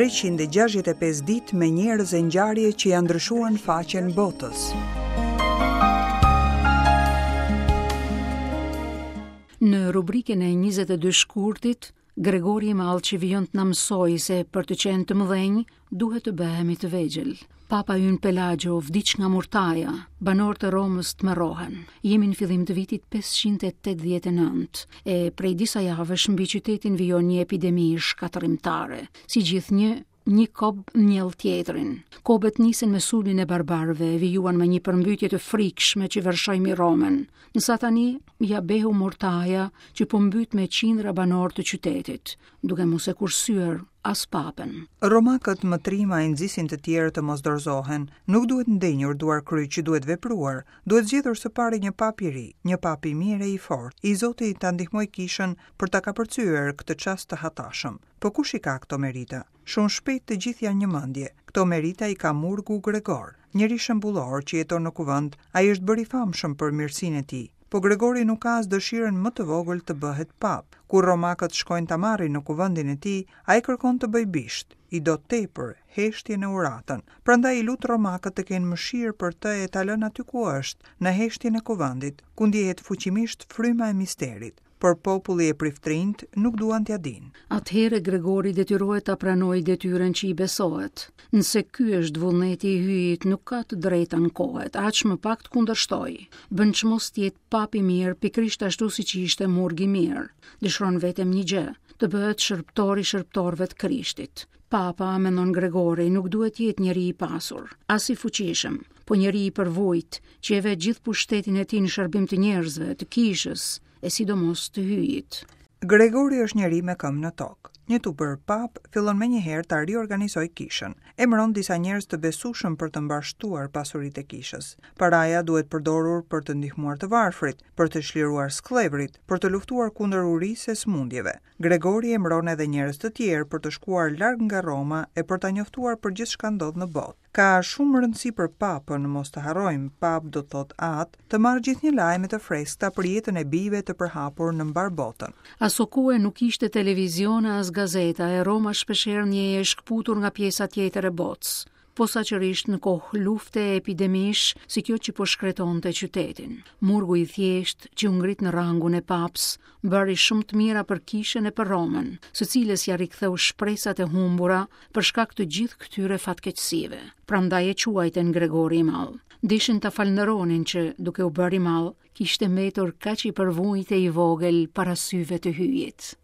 365 ditë me njerëz e ngjarje që ia ndryshuan faqen botës. Në rubrikën e 22 shkurtit, Gregori i Madh që vijon të na mësojë se për të qenë të mëdhenj, duhet të bëhemi të vegjël. Papa ynë Pelagio vdiq nga murtaja, banorët e Romës tmerrohen. Jemi në fillim të vitit 589, e prej disa javësh mbi qytetin vijon një epidemi shkatërrimtare. Si gjithnjë, një kob njell tjetrin. Kobet nisën me sulmin e barbarëve e vijuan me një përmbytje të frikshme që vërshoi mbi Romën. Ndërsa tani ia behu murtaja që po mbyt me qindra banorë të qytetit, duke mos e kursyer as papën. Romakët më trima i nxisin të tjerët të mos dorëzohen. Nuk duhet ndenjur duarkryq, duhet vepruar. Duhet zgjedhur së pari një papë i ri, një papë i mirë e i fortë, i zoti ta ndihmojë kishën për ta kapërcyer këtë çast të hatashëm. Po kush i ka këto merita? Shumë shpejt të gjithë janë një mendje. Këto merita i ka murgu Gregor, njeri shembullor që jeton në kuvend, ai është bërë i famshëm për mirësinë e tij. Po Gregori nuk ka as dëshirën më të vogël të bëhet papë. Kur romakët shkojnë ta marrin në kuvendin e tij, ai kërkon të bëjë bisht, i do tepër heshtjen e uratën. Prandaj i lut romakët të kenë mëshirë për të e ta lënë aty ku është, në heshtjen e kuvendit, ku ndjehet fuqimisht fryma e misterit. Por populli e priftërinjtë nuk duan t'ia dinë. Atëherë Gregori detyrohet ta pranojë detyrën që i besohet. Nëse ky është vullneti i Hyjit, nuk ka të drejtë të ankohet, aq më pak të kundërshtojë. Bën çmos të jetë papë i mirë, pikërisht ashtu siç ishte murg i mirë. Dëshiron vetëm një gjë, të bëhet shërbëtor i shërbëtorëve të Krishtit. Papa, mendon Gregori, nuk duhet të jetë njeri i pasur, as i fuqishëm, po njeri i përvujtë, që e vë gjithë pushtetin e tij në shërbim të njerëzve, të kishës, e sidomos të Hyjit. Gregori është njeri me këmbë në tokë. Një t'u bërë papë, fillon menjëherë ta riorganizojë kishën. Emëron disa njerëz të besueshëm për të mbarështuar pasuritë e kishës. Paraja duhet përdorur për të ndihmuar të varfrit, për të çliruar skllevërit, për të luftuar kundër urisë e sëmundjeve. Gregori emëron edhe njerëz të tjerë për të shkuar larg nga Roma e për ta njoftuar për gjithçka ndodh në botë. Ka shumë rëndësi për Papën, mos të harrojmë, Papë do të thotë Atë, të marrë gjithnjë lajme të freskëta për jetën e bijve të përhapur në mbarë botën. Asokohe nuk kishte televizion e as gazeta e Roma shpeshherë ndjehej e shkëputur nga pjesa tjetër e botës, posaçërisht në kohë lufte e epidemish si kjo që po shkretonte qytetin. Murgu i thjeshtë që u ngrit në rangun e papës bëri shumë të mira për kishën e për Romën, së cilës ia riktheu shpresat e humbura për shkak të gjithë këtyre fatkeqësive. Prandaj e quajtën Gregori i Madh. Deshin ta falënderonin që, duke u bërë i madh, kishte mbetur kaq i përvujtë e i vogël para syve të Hyjit.